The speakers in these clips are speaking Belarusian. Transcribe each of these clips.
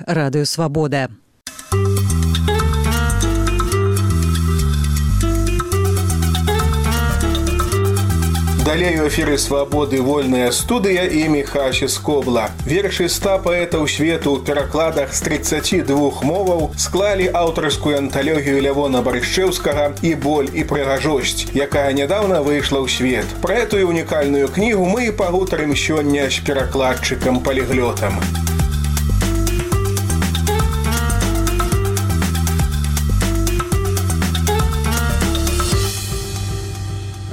Радыё Свабода. Далей у эфіры «Свабоды» вольная студыя і Міхась Скобла. Вершы 100 паэтаў свету ў перакладах з 32 моваў склалі аўтарскую анталогію Лявона Барышчэўскага «І боль, і прыгажосць», якая нядаўна выйшла ў свет. Пра этую унікальную кнігу мы і пагутарым сёння з перакладчыкам-паліглётам.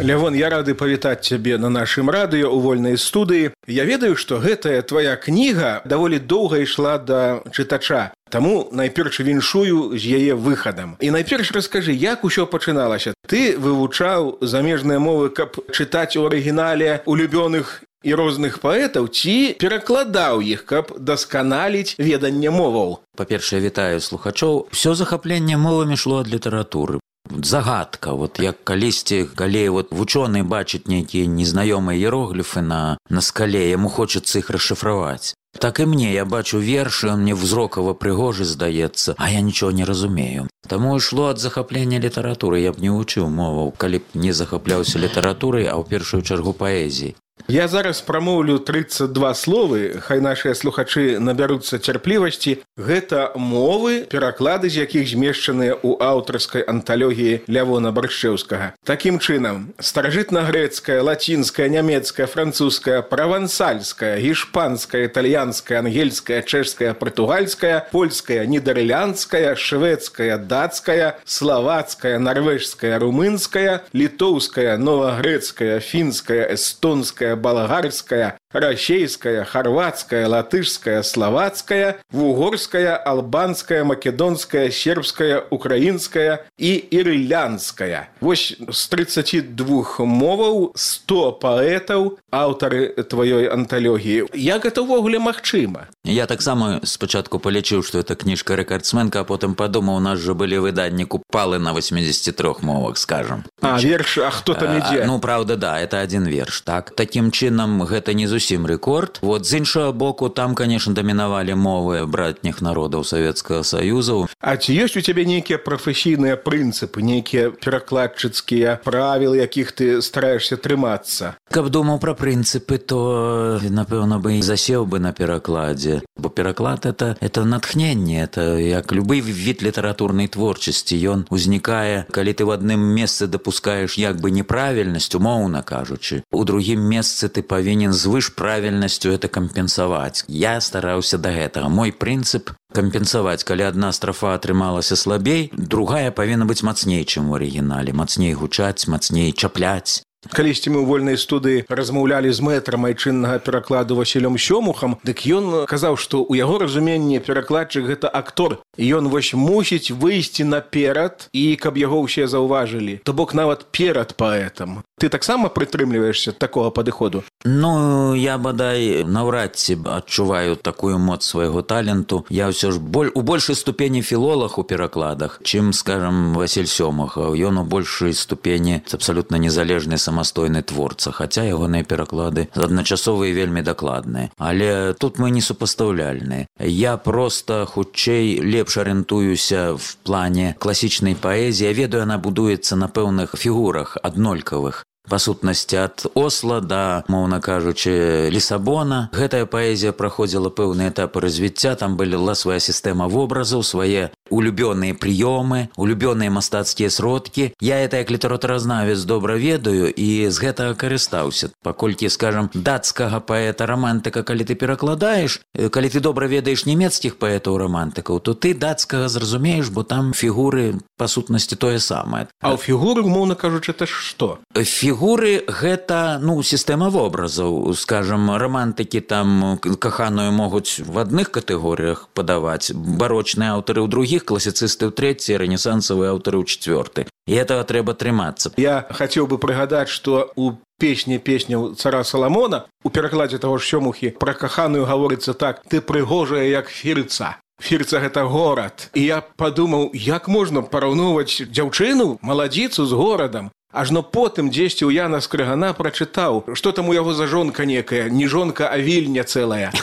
Лявон, я рады павітаць цябе на нашым радыё ў вольнай студыі. Я ведаю, што гэтая твая кніга даволі доўга ішла да чытача. Таму найперш віншую з яе выхадам. І найперш раскажы, як усё пачыналася? Ты вывучаў замежныя мовы, каб чытаць у арыгінале улюбёных і розных паэтаў, ці перакладаў іх, каб дасканаліць веданне моваў? Па-першае, вітаю слухачоў. Усё захапленне мовамі шло ад літаратуры. Загадка, як калісьці, калі вучоны бачыць нейкія незнаёмыя іерогліфы на скале, яму хочацца іх расшыфраваць. Так і мне, я бачу вершы, он мне взрокава прыгожы здаецца, а я нічого не разумею. Таму ішло ад захаплення літаратуры, я б не вучыў моваў, калі б не захапляўся літаратурай, а ў першую чаргу паэзіяй. Я зараз прамоўлю 32 словы, хай нашыя слухачы набяруцца цярплівасці. Гэта мовы, пераклады з якіх змешчаныя ў аўтарскай анталогіі Лявона Барышчэўскага. Такім чынам, старажытна-грэцкая, лацінская, нямецкая, французская, правансальская, гішпанская, італьянская, ангельская, чэшская, партугальская, польская, нідерландская, шведская, дацкая, славацкая, нарвежская, румынская, літоўская, новагрэцкая, фінская, эстонская, болгарская, расейская, хорватская, латышская, словацкая, вугорская, албанская, македонская, сербская, украинская и ирландская. Вось з 32 моваў 100 паэтаў, аўтары твоей анталогіі. Як гэта ўвогуле магчыма? Я таксама спачатку палічыў, што это кніжка рэкардсменка, а потым падумаў, у нас жа былі выданні купалы на 83 мовах, скажам. Верш, а хто там ідзе? Праўда, да, это один верш, так. Такім чынам, гэта не зусім рэкорд. З іншага боку, там, конечно, дамінавалі мовы братніх народаў Савецкага Саюзу. А ці ёсць у цябе нейкія прафесійныя прынцыпы, нейкія перакладчыцкія правілы, якіх ты стараешся трымацца? Каб думаў пра прынцыпы, то, напэўна, бы і засеў бы на перакладзе. Бо пераклад – это натхненне, это як любы від літаратурнай творчасці. Ён узнікае, калі ты ў адным месцы дапускаеш як бы неправільнасць, умоўна кажучы. У другім месцы ты павінен звыш правільнасцю это кампенсаваць. Я стараўся да гэтага. Мой прынцып – кампенсаваць. Калі адна страфа атрымалася слабей, другая павінна быць мацней, чым у арыгінале. Мацней гучаць, мацней чапляць. Калісьці мы ў вольнай студыі размаўлялі з мэтрам айчыннага перакладу Васілём Сёмухам, дык ён казаў, што ў яго разуменні перакладчык – гэта актор. І ён мусіць выйсці наперад, і каб яго ўсе заўважылі. То бок нават перад паэтам. Ты таксама прытрымліваешся такога падыходу? Я бадай наўрад ці адчуваю такую моц свайго таленту. Я ўсё ж у большай ступені філолаг у перакладах, чым, скажам, Васіль Сёмухаў. Ён у большай ступені абсалютна незалежны самастойны творца, хаця ягоныя пераклады адначасовыя і вельмі дакладныя. Але тут мы не супастаўляльныя. Я проста хутчэй лепш арыентуюся в плане класічнай паэзіі. Я ведаю, яна будуецца на пэўных фігурах аднолькавых. Па сутнасці ад Осла да, моўна кажучы, Лісабона. Гэтая паэзія праходзіла пэўныя этапы развіцця, там была свая сістэма вобразаў, свае улюбёныя прыёмы, улюбёныя мастацкія сродкі. Я это як літаратуразнавец добра ведаю і з гэтага карыстаўся. Паколькі, скажам, дацкага паэта-рамантыка, калі ты перакладаеш, калі ты добра ведаеш нямецкіх паэтаў-рамантыкаў, то ты дацкага зразумееш, бо там фігуры, па сутнасці, тое самае. А ў фігуры, умоўна кажучы, это што? Фігуры – гэта, сістэма вобразаў. Скажам, рамантыкі там каханую могуць в адных катэгорыях падаваць, барочныя аўтары ў другіх, класіцысты ў трэцяй, рэнесансавыя аўтары ў чацвёртай. І гэтага трэба трымацца. Я хацеў бы прыгадаць, што у песняў цара Саламона у перакладзе таго ж Сёмухі пра каханую гаворыцца так: «Ты прыгожая, як фірца». Фірца – гэта горад. І я падумаў, як можна параўноўваць дзяўчыну, маладзіцу з горадам? Ажно потым дзесьці ў Яна Скрыгана прачытаў, што там у яго за жонка некая, не жонка, а вільня цэлая.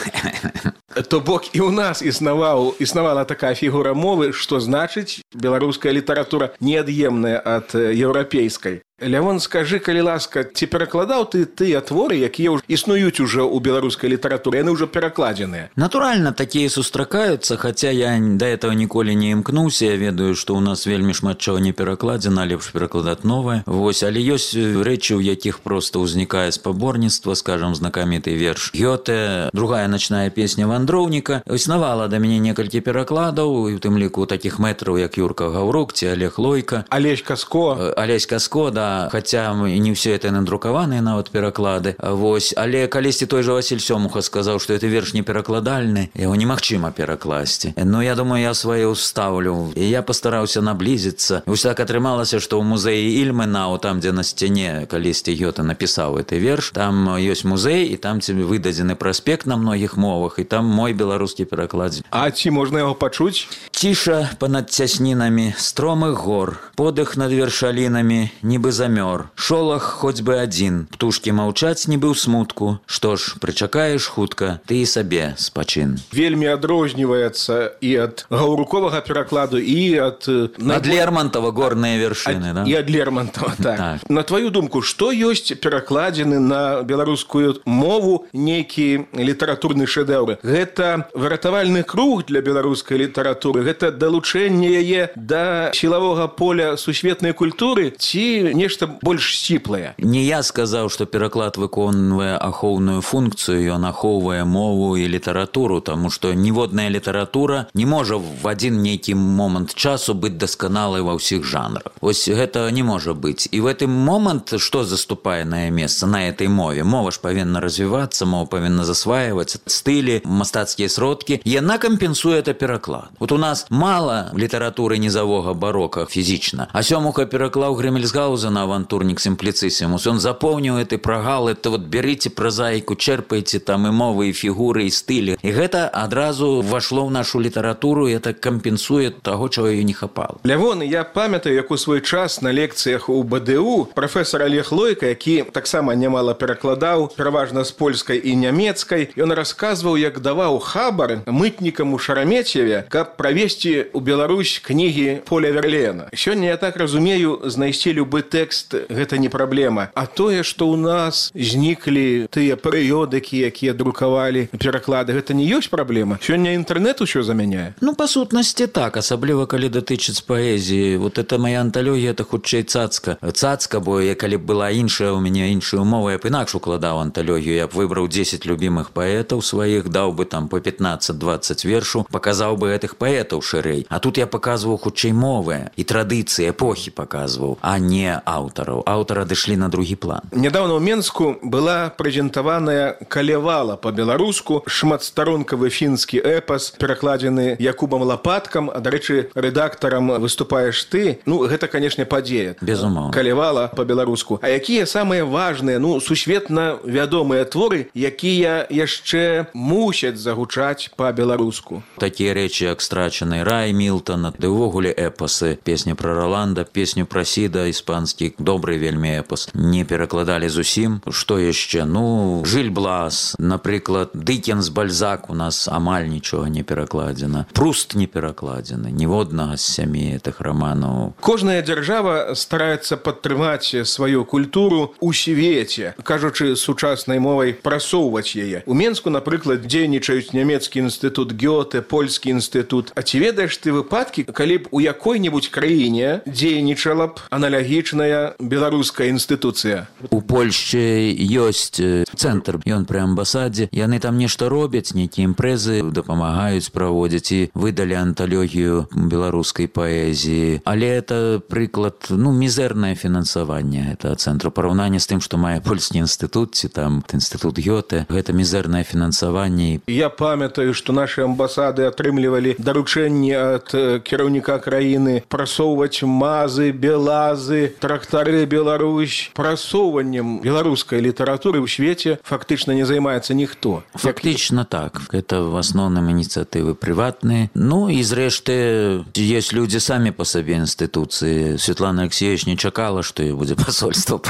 То бок і ў нас існавала такая фігура мовы, што значыць беларуская літаратура неад'емная ад еўрапейскай. Лявон, скажы, калі ласка, ці перакладаў ты тыя творы, якія існуюць уже ў беларускай літаратуры, яны ўжо перакладзеныя? Натуральна, такія сустракаюцца, хаця я да этого ніколі не імкнуўся. Я ведаю, што ў нас вельмі шмат чаго не перакладзена, лепш перакладаць новае. Вось, але ёсць рэчы, у якіх проста ўзнікае спаборніцтва, скажам, знакаміты верш Гёте, другая начная песня вандроўніка. Існавала да мяне некалькі перакладаў, і ў тым ліку такіх мэтраў, як Юрка Гаўрук ці Олег Лойка. Алесь Каско, да, хаця не ўсе это надрукаваныя нават пераклады. Вось, але калісьці той жа Васіль Сёмуха сказаў, што это верш не перакладальны, яго немагчыма перакласці. Ну, я думаю, я свае ўставлю. І я пастараўся наблізіцца. Вось так атрымалася, што ў музеі Ільменау, там, дзе на сцяне калісьці Гёте напісаў гэты верш, там ёсць музей, і там тебе выдадзены праспект на многіх мовах, і там мой беларускі пераклад. А ці можна яго пачуць? Ціша панад цяснінамі стромых гор, подых над вершалінамі, нібы замёр. Шолах хоць бы адзін, птушкі маўчаць нібы ў смутку. Што ж, прычакаеш хутка, ты і сабе спачын. Вельмі адрозніваецца і ад гаўруковага перакладу, і ад Лермонтова горныя вершыны, да? І ад Лермонтова, так. На твою думку, што ёсць перакладзены на беларускую мову нейкі літаратурны шэдэўр? Гэта выратавальны круг для беларускай літаратуры? Гэта далучэнне яе да сілавога поля сусветнай культуры ці нешта больш сціплае? Не я сказаў, што пераклад выконвае ахоўную функцыю, ён ахоўвае мову і літаратуру, таму што ніводная літаратура не можа в адзін нейкі момант часу быць дасканалай ва ўсіх жанрах. Вось гэта не можа быць. І в гэты момант што заступае на месца на этой мове? Мова ж павінна развівацца, мова павінна засваиваць стылі, мастацкія сродкі. Яна кампенсуе это пераклад. Вот у нас мала літаратуры низавога барока фізічна. А Сёмуха пераклаў Грэмельсгаузена «Авантурник симплицисимус». Он запомніў гэты прагал, это вот берите прозаику, черпайте там и мовы, и фігуры, и стылі. И гэта адразу вошло в нашу літаратуру, и это кампенсуе таго, чего ее не хапало. Лявон, я памятаю, як у свой час на лекцыях у БДУ професор Олег Лойка, які таксама нямала перакладаў, пераважна з польскай і нямецкай, ён расказваў, як даваў хабар мытнікам у Шараметьеве, каб правесці ў Беларусь кнігі Поля Верлена. Сёння, я так разумею, знайсці любы тэкст гэта не праблема. А тое, што ў нас зніклі тыя перыёдыкі, якія друкавалі пераклады, гэта не ёсць праблема? Сёння інтэрнэт усё замяняе? Ну, па сутнасці так, асабліва калі датычыць паэзіі. Вот это моя анталогія, это хутчэй цацка. Цацка, бо калі б была іншая, у мяне іншая умова, я б інакш укладаў анталогію. Я б выбраў 10 любімых паэтаў сваіх, даў бы там по 15-20 вершаў, паказаў бы гэтых паэтаў шырэй. А тут я паказваў хутчэй мовы і традыцыі эпохі паказваў, а не аўтараў. Аўтары адышлі на другі план. Нядаўна ў Менску была прэзентаваная «Калевала» па-беларуску, шматстаронкавы фінскі эпас, перакладзены Якубам Лапаткам, а, дарэчы, рэдактарам выступаеш ты. Ну, гэта, канешне, падзея. Безумоўна. «Калевала» па-беларуску. А якія самыя важныя, ну, сусветна вядомыя творы, якія яшчэ мусяць загучаць па-беларуску? Такія рэчы, як «Страчаны рай» Мілтана, ды ўвогуле эпасы. Песня пра Роланда, песню пра Сіда, іспанскі, добры вельмі эпас. Не перакладалі зусім. Што яшчэ? Ну, Жыль Блас, напрыклад, Дыкенс, Бальзак у нас амаль нічога не перакладзена. Пруст не перакладзены, ніводнага з 7 гэтых раманаў. Кожная дзяржава стараецца падтрымаць сваю культуру ў свеце, кажучы сучаснай мовай, прасоўваць яе. У Менску, напрыклад, дзейнічаюць нямецкі інстытут Гёте, польскі інстытут. А ці ведаеш ты выпадкі, калі б у якой-небудзь краіне дзейнічала б аналагічная беларуская інстытуцыя? У Польшчы ёсць цэнтр, ён пры амбасадзе. Яны там нешта робяць, нейкія імпрэзы дапамагаюць праводзіць і выдалі анталогію беларускай паэзіі. Але это прыклад, ну, мізэрнае фінансаванне гэтага цэнтру. Параўнанне з тым, што мае польскі інстытут ці там інстытут Гёте, гэта мізэрнае фінансаванне. Я памятаю, што нашы амбасады атрымлівалі даручэнне рашэнні ад кіраўніка краіны прасоўваць мазы, белазы, трактары Беларусь. Прасоўваннем беларускай літаратуры ў свеце фактычна не займаецца ніхто. Фактично так. Это в основном инициативы приватные. Ну и зрэшты, есть люди сами по себе институции. Светлана Алексеевич не чакала, что ее будет посольство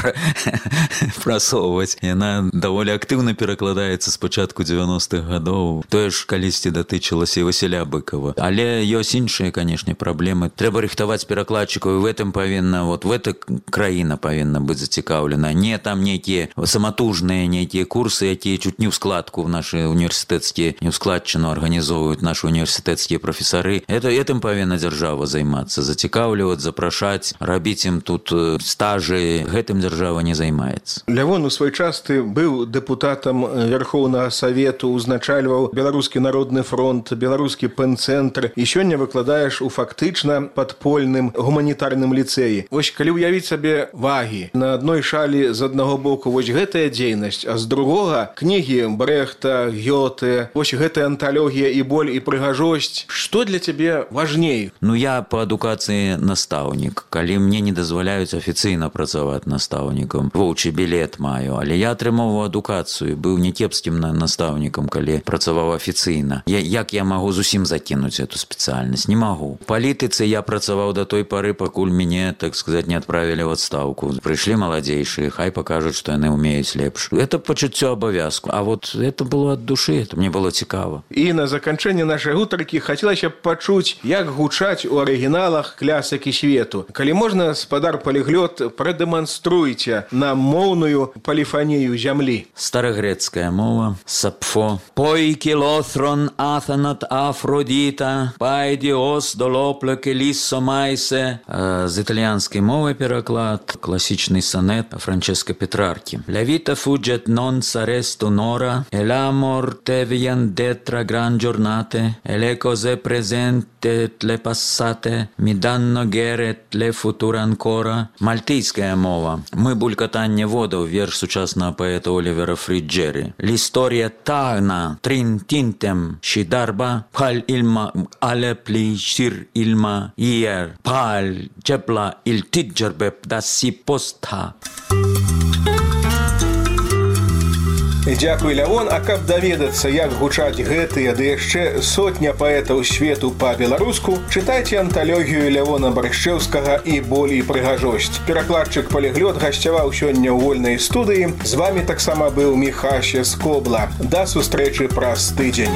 прасоўваць. Яна даволі актыўна перакладаецца з пачатку 90-х гадоў. Тое ж калісьці датычылася і Васіля Быкова. Але ёсць іншыя, канешне, праблемы. Трэба рыхтаваць перакладчыкаў, і в этом павінна, вот в эта краіна павінна быць зацікаўлена. Не там нейкія саматужныя нейкія курсы, якія чуть не ў складку в наши універсітэцкія, не ў складчыну арганізоўваюць наши універсітэцкія прафесары. Этым павінна дзяржава займацца, зацікаўліваць, запрашаць, рабіць ім тут стажы. Гэтым дзяржава не займаецца. Лявон, у свой час ты быў дэпутатам Верхоўнага Савету, узначальваў Беларускі народны фронт, Беларускі пэнцэнтр, і сёння выкладаеш у фактычна падпольным гуманітарным ліцэі. Вось калі ўявіць сабе вагі, на адной шалі з аднаго боку вось гэтая дзейнасць, а з другога кнігі Брехта, Гёте, вось гэтая анталогія і боль, і прыгажосць. Што для цябе важней? Ну, я по адукацыі настаўнік. Калі мне не дазваляюць афіцыйна працаваць настаўнікам, воўчы білет маю, але я атрымоўваў адукацыю, быў някепскім настаўнікам, калі працаваў афіцыйна. Як я магу зусім закінуць эту спецыяльнасць? Не магу. У палітыцы я працаваў до той пары, пакуль мяне, так сказать, не адправілі ў адстаўку. Прыйшлі маладзейшыя, хай пакажуць, што яны ўмеюць лепш. Это пачуццё абавязку. А вот это было ад душы, это мне было цікава. І на заканчэнне нашай гутаркі хацелася б пачуць, як гучаць у арыгіналах клясыкі свету. Калі можна, спадар Паліглот, прадэманструйце нам моўную поліфанію зямлі. Старагрэцкая мова. Сапфо. Пойкі лоθρον άθανατ Афродіта, пайдіос долопле келіссо майсе. З італьянскай мовы пераклад. Класічны сонет Франческо Петраркі. Ля віта фуджет нон сарест онора, e l'amor te vien detra gran giornate, e le cose presente le passate mi danno geret le future ancora. Мальтійська мова. Ми булькатання водов, вірш сучасного поета Олівера Фріджері. L'historia tagna trintintem și darba pal ilma ale plishir ilma ier pal jebla il tidgerbeb da si posta. Дзякуй, Лявон. А каб даведацца, як гучаць гэтыя, ды яшчэ сотня паэтаў свету па-беларуску, чытайце анталогію Лявона Баршчэўскага «І боль, і прыгажосць». Перакладчык Паліглот гасцяваў сёння ў вольнай студыі. З вамі таксама быў Міхася Скобла. Да сустрэчы праз тыдзень.